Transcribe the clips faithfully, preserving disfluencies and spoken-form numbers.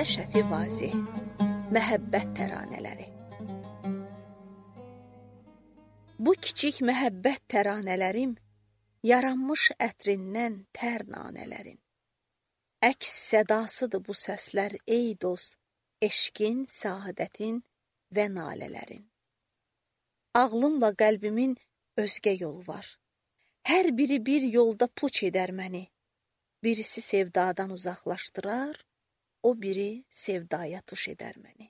Mirzə Şəfi Vazeh, Məhəbbət təranələri. Bu kiçik məhəbbət təranələrim, yaranmış ətrindən tər nanələrin. Əks sədasıdır bu səslər ey dost, eşqin, səadətin və nalələrin. Ağlımla qəlbimin özgə yolu var. Hər biri bir yolda puç edər məni. Birisi sevdadan uzaqlaşdırar, o biri sevdaya tuş edər məni.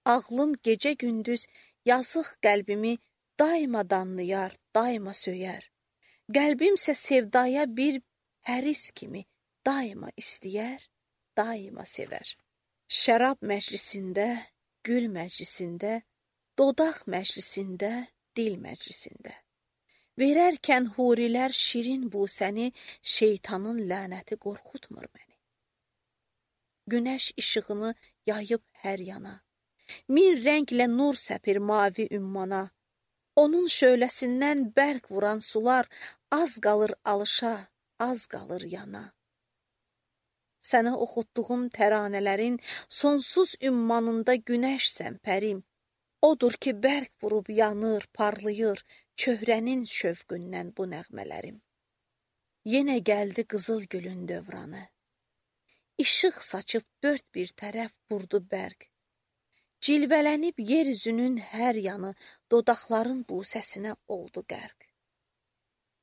Ağlım gecə-gündüz yazıq qəlbimi daima danlayar, daima söyər. Qəlbimsə sevdaya bir həris kimi daima istəyər, daima sevər. Şərab məclisində, gül məclisində, dodaq məclisində, dil məclisində. Verərkən hurilər şirin busəni, şeytanın lənəti qorxutmur məni. Günəş işığını yayıb hər yana, min rənglə nur səpir mavi ümmana. Onun şöləsindən bərq vuran sular az qalır alışa, az qalır yana. Sənə oxutduğum təranələrin sonsuz ümmanında günəşsən pərim. Odur ki, bərq vurub yanır, parlayır, çöhrənin şövqündən bu nəğmələrim. Yenə gəldi qızıl gülün dövranı. İşıq saçıb dörd bir tərəf vurdu bərq. Cilvələnib yeryüzünün hər yanı, dodaqların busəsinə oldu qərq.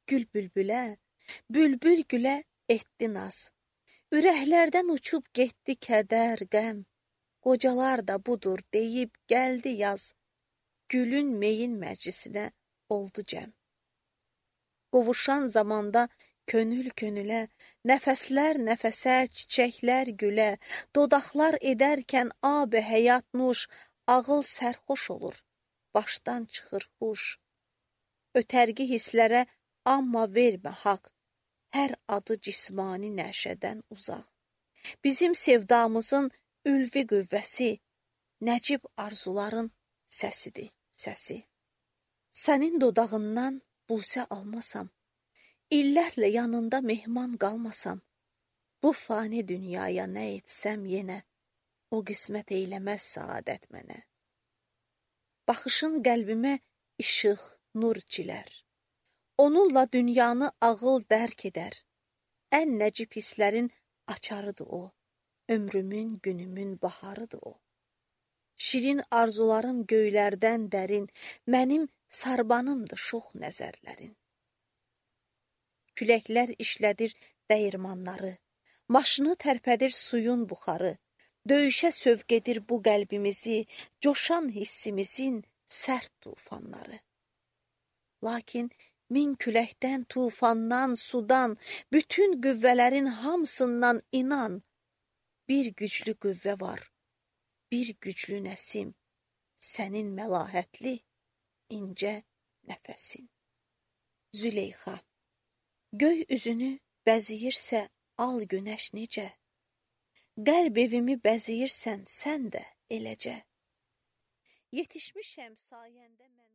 Gül bülbülə, bülbül gülə etdi naz. Ürəklərdən uçub getdi kədər, qəm. Qocalar da budur deyib gəldi yaz. Gülün meyin məclisinə oldu cəm. Qovuşan zamanda könül könülə, nəfəslər nəfəsə, çiçəklər gülə, dodaqlar edərkən ab-i həyat nuş, ağıl sərxoş olur, başdan çıxır huş. Ötərgi hisslərə amma vermə haqq, hər adı cismani nəşədən uzaq. Bizim sevdamızın ülvi qüvvəsi, nəcib arzuların səsidir, səsi. Sənin dodağından busə almasam, illərlə yanında mehman qalmasam, bu fani dünyaya nə etsəm yenə, o qismət eyləməz saadət mənə. Baxışın qəlbimə işıq, nur çilər. Onunla dünyanı ağıl dərk edər. Ən nəcib hisslərin açarıdır o. Ömrümün, günümün baharıdır o. Şirin arzularım göylərdən dərin, mənim sarbanımdır şox nəzərlərin. Küləklər işlədir dəyirmanları, maşını tərpədir suyun buxarı, döyüşə sövq edir bu qəlbimizi, coşan hissimizin sərt tufanları. Lakin min küləkdən, tufandan, sudan, bütün qüvvələrin hamısından inan, bir güclü qüvvə var, bir güclü nəsim, sənin məlahətli, incə nəfəsin. Züleyxa. Göy üzünü bəziyirsə al günəş necə? Qəlb evimi bəziyirsən sən də eləcə. Yetişmişəm sayəndə mən.